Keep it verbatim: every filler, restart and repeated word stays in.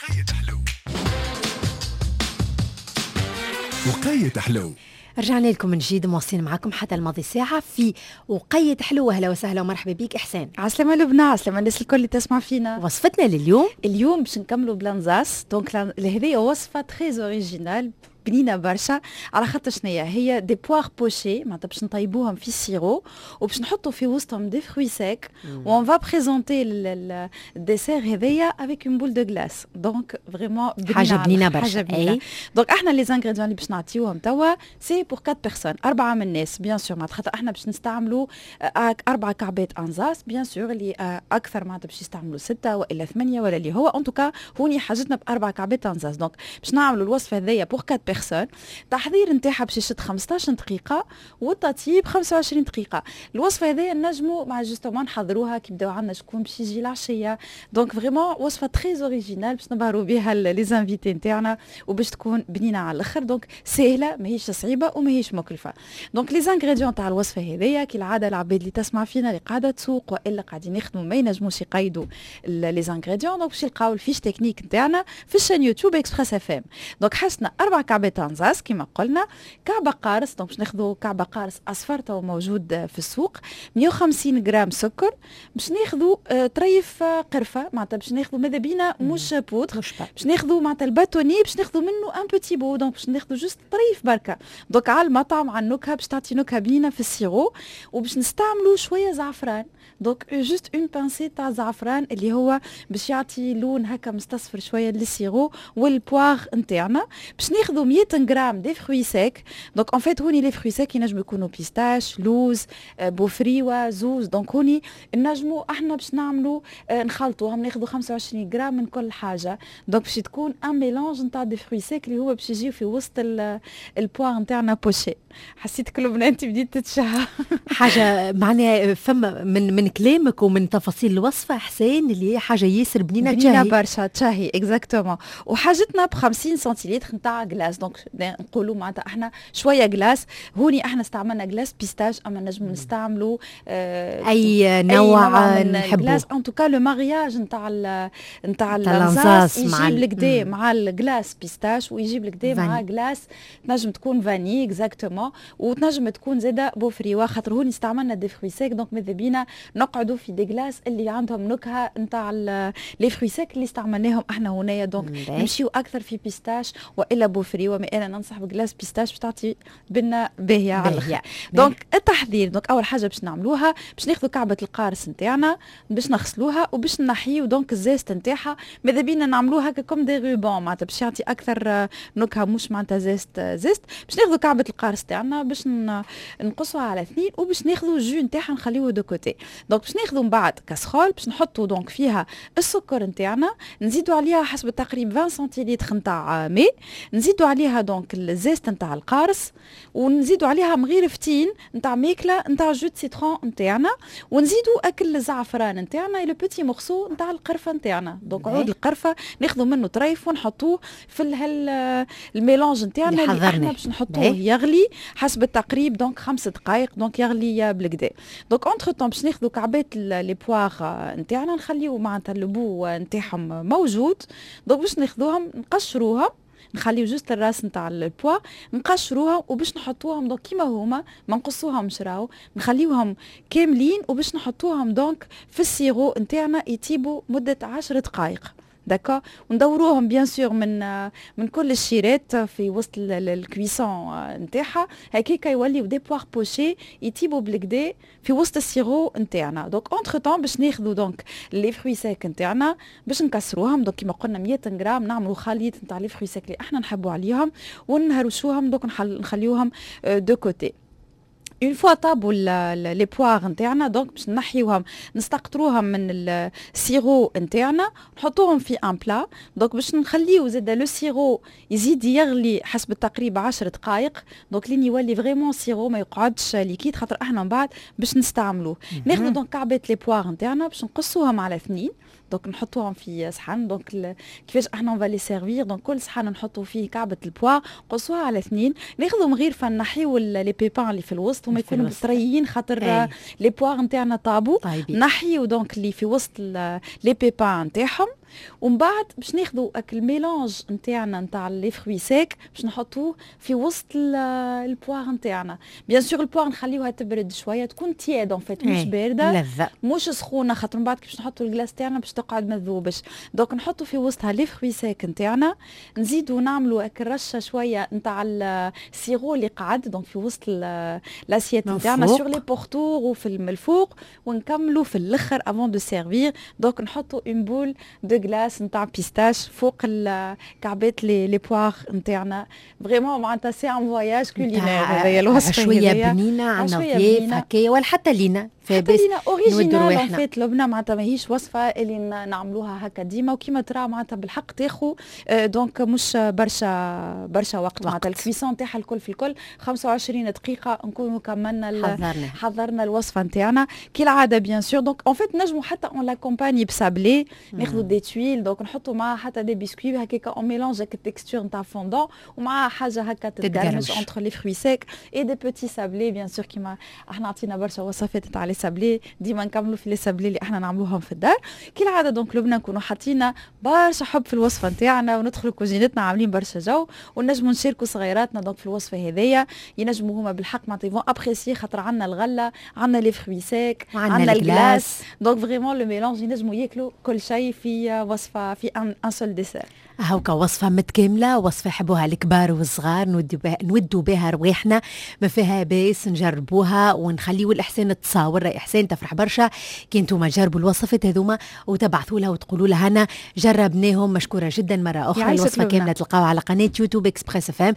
وقيت حلو، وقيت حلو. رجعنا لكم من جديد، مواصلين معكم حتى الماضي ساعة في وقيت حلو. أهلا وسهلا ومرحبا بك إحسان. عسلامة لبنى، عسلامة الناس الكل اللي تسمع فينا. وصفتنا لليوم؟ اليوم باش نكملوا بلانزاس، donc هذه وصفة très originale، بنينه برشا. على خاطر شنيا هي؟ des poires pochées، معناتها باش نطيبوهم في ال sirop وباش نحطوا في وسطهم des fruits secs و on va présenter ال dessert هذايا avec une boule de glace، donc vraiment حاجة بنينه برشا. حاجة بنينه. donc احنا les ingrédients اللي باش نعطيوهم توا c'est pour quatre personnes، اربعة من الناس bien sûr، معناتها خاطر احنا باش نستعملوا اربع كعبات انزاس. bien sûr اللي اكثر معناتها باش يستعملوا ستة والا ثمانية ولا اللي هو، en tout cas هوني حاجتنا باربع كعبات انزاس. donc باش نعملوا الوصفة هذيا pour quatre personnes، التحضير نتاعها باش يشد خمسطاش دقيقة والتطيب خمسة وعشرين دقيقه. الوصفة هذه نجموا مع justement نحضروها كي بداو عندنا شكون باش يجي العشيه، donc vraiment وصفه très originale باش نبهروا بها les invités نتاعنا وباش تكون بنينه على الاخر. donc سهله، ماهيش صعيبة وماهيش مكلفه. donc les ingrédients تاع الوصفة هذيا، كالعادة العباد اللي تسمع فينا، اللي قاعدة تسوق والا قاعدين يخدموا، ما ينجموش يقيدوا les ingrédients، donc باش يلقاو ال fiche technique نتاعنا في ال chaîne YouTube Express FM. donc حاجتنا اربع كعبات انزاس كما قلنا، كعبه قارص، donc باش ناخذوا كعبه قارص اصفر تو موجود في السوق، مية وخمسين غرام سكر، باش ناخذوا آه، طريف قرفه، معناتها باش ناخذوا ماذا بينا مش بودر، باش ناخذوا معناتها ال bâtonnet، باش ناخذوا منه un petit bout، donc باش ناخذوا juste طريف بركه، donc على المطعم، على النكهه، باش تعطي نكهة بنينه في ال sirop. وباش نستعملوا شوية زعفران، donc juste une pincée تاع زعفران اللي هو باش يعطي لون هكا مستصفر شوية لل sirop وال poires نتاعنا. باش ناخذوا مية غرام des fruits secs، donc en fait هوني les fruits secs ينجموا يكونوا pistache، لوز، بوفريوه، زوز. donc هوني نجموا احنا باش نعملوا نخلطوهم، ناخذوا خمسة وعشرين غرام من كل حاجه، donc باش تكون un mélange نتاع des fruits secs اللي هو باش يجيو في وسط ال poires نتاعنا pochées. حسيت كل انت بديت تتشهى. حاجة معناها فما من من كلامك ومن تفاصيل الوصفة حسين اللي هي حاجة ياسر بنينه. بنينه برشا، تشهي exactement. وحاجتنا ب خمسين سنتيلتر نتاع glace، donc نقولوا معناتها احنا شوية glace. هوني احنا استعملنا glace pistache، اما نجموا نستعملوا آه اي نوع نحبه. glace، en tout cas le mariage نتاع نتاع الانزاس يجيب الكدا مع ال glace pistache ويجيب الكدا مع glace تنجم تكون vanille exactement وتنجم تكون زاده بوفريوا، خاطر هوني استعملنا des fruits secs، donc ماذا بينا نقعدوا في des glaces اللي عندهم نكهة نتاع les fruits secs اللي استعملناهم احنا هنايا. donc نمشيو اكثر في pistache والا بوفريوا، mais انا ننصح ب glace pistache باش تعطي بنه باهيه على الاخر. donc التحضير، donc اول حاجة باش نعملوها باش ناخذوا كعبه القارص نتاعنا، باش نغسلوها وباش نحيو donc ال zeste نتاعها. ماذا بينا نعملوها هكا comme des rubans، معناتها باش يعطي اكثر نكهه، مش معناتها zeste zeste. باش ناخذوا كعبه القارص تاعنا، باش نقصوها على اثنين وباش ناخذوا ال jus نتاعها نخليوه de côté. donc باش ناخذوا من بعد كاسرول، باش نحطوا donc فيها السكر نتاعنا، نزيدوا عليها حسب التقريب عشرين سنتيلتر نتاع ماء، نزيدوا عليها donc ال zeste نتاع القارص، ونزيدوا عليها مغيرفتين نتاع ماكله نتاع jus de citron نتاعنا، ونزيدوا اكل الزعفران نتاعنا، le petit morceau نتاع القرفه نتاعنا. donc عود القرفه ناخذوا منه طريف ونحطوه في ال mélange نتاعنا اللي احنا باش نحطوه يغلي حسب التقريب donc خمس دقائق، donc يغلي بالكدا. donc entre-temps باش ناخذوا كعبات les poires نتاعنا، نخليو معناتها le bout نتاعهم موجود. donc باش ناخذوهم نقشروها، نخليو juste الراس نتاع ال poire، نقشروها وباش نحطوهم donc كيما هما، ما نقصوهمش راهو، نخليوهم كاملين وباش نحطوهم donc في ال sirop نتاعنا يطيبوا مده عشر دقائق، d'accord؟ وندوروهم bien sûr من من كل الشيرات في وسط ال cuisson نتاعها، هكاكا يوليو des poires pochées يطيبوا بالكدا في وسط ال sirop نتاعنا. donc entre-temps باش ناخذوا donc les fruits secs نتاعنا، باش نكسروهم، donc كيما قلنا مية غرام، نعملوا خليط نتاع les fruits secs اللي احنا نحبوا عليهم ونهرشوهم، donc نخليوهم de côté. une fois طابوا les poires نتاعنا، donc باش نحيوهم، نستقطروهم من ال sirop نتاعنا، نحطوهم في un plat. donc باش نخليو زاد le sirop يزيد يغلي حسب التقريب عشر دقائق، donc لين يولي vraiment sirop، ما يقعدش liquide، خاطر احنا من بعد باش نستعملوه. ناخذ donc كعبات les poires نتاعنا، باش نقصوهم على اثنين، donc نحطوهم في صحن. donc كيفاش احنا on va les servir؟ donc كل صحن نحطوا فيه كعبه ال poire، نقصوها على اثنين، ناخذوا مغيرفه نحيو les pépins اللي في الوسط، هما يكونوا طريين خاطر les poires نتاعنا طابوا. نحيو donc اللي في وسط les pépins نتاعهم. ومن بعد باش ناخذوا اك ال mélange نتاعنا نتاع les fruits secs باش نحطوه في وسط ال poire نتاعنا. bien sûr ال poire نخليوها تبرد شويه، تكون tiède en fait، مش باردة لذة. مش سخونه، خاطر من بعد كي باش نحطوا ال glace تاعنا باش تقعد ما تذوبش. donc نحطوا في وسطها les fruits secs نتاعنا، نزيدوا نعملوا هاك الرشه شوية نتاع ال sirop اللي قعد donc في وسط l'assiette نتاعنا sur les pourtours وفي الفوق، ونكملوا في الاخر avant de servir donc نحطوا une boule de glace نتاع pistache فوق الكعبات les les poires نتاعنا. vraiment معناتها c'est un voyage culinaire هذايا الوصفه. شوية بنينه، عندنا ضياف هكايا ولا حتى لينا. حتى لينا، originale en fait لبنى، معناتها ماهيش وصفه اللي نعملوها هكا ديما. وكيما ترى معناتها بالحق تاخو donc مش برشا برشا وقت، معناتها ال cuisson تاعها الكل في الكل خمسة وعشرين دقيقة نكونوا كملنا. حضرنا. حضرنا الوصفة نتاعنا كالعادة bien sûr. donc en fait نجموا حتى on l'accompagne ب sablé، ناخذوا des tuiles، donc نحطوا معاها حتى des biscuits هكاك، on mélange هكا ال texture نتاع فوندون ومعاها حاجة هكا تتقرمش entre les fruits secs et des petits sablés bien sûr. كيما احنا عطينا برشا وصفات تاع les sablés، ديما نكملوا في les sablés اللي احنا نعملوهم في الدار كالعاده. donc لبنى نكونوا حاطين برشا حب في الوصفة نتاعنا وندخلوا كوزينتنا عاملين برشا جو، ونجموا نشاركوا صغيراتنا donc في الوصفة هذيا، ينجموا هما بالحق معناتها ils vont apprécier، خاطر عندنا الغله، عندنا les fruits secs، عندنا ال glace، donc vraiment le mélange ينجموا ياكلوا كل شيء في وصفه، في un seul dessert. هاوكا وصفة متكاملة، وصفة يحبوها الكبار والصغار، نودوا بها نودوا بها رواحنا، ما فيها باس نجربوها ونخليو الإحسان تصاور. إحسان تفرح برشا كي انتم تجربوا الوصفات هذوما وتبعثوا لها وتقولوا لها هنا جربناهم. مشكورة جدا مرة أخرى. الوصفة كاملة تلقاوها على قناة يوتيوب Express FM.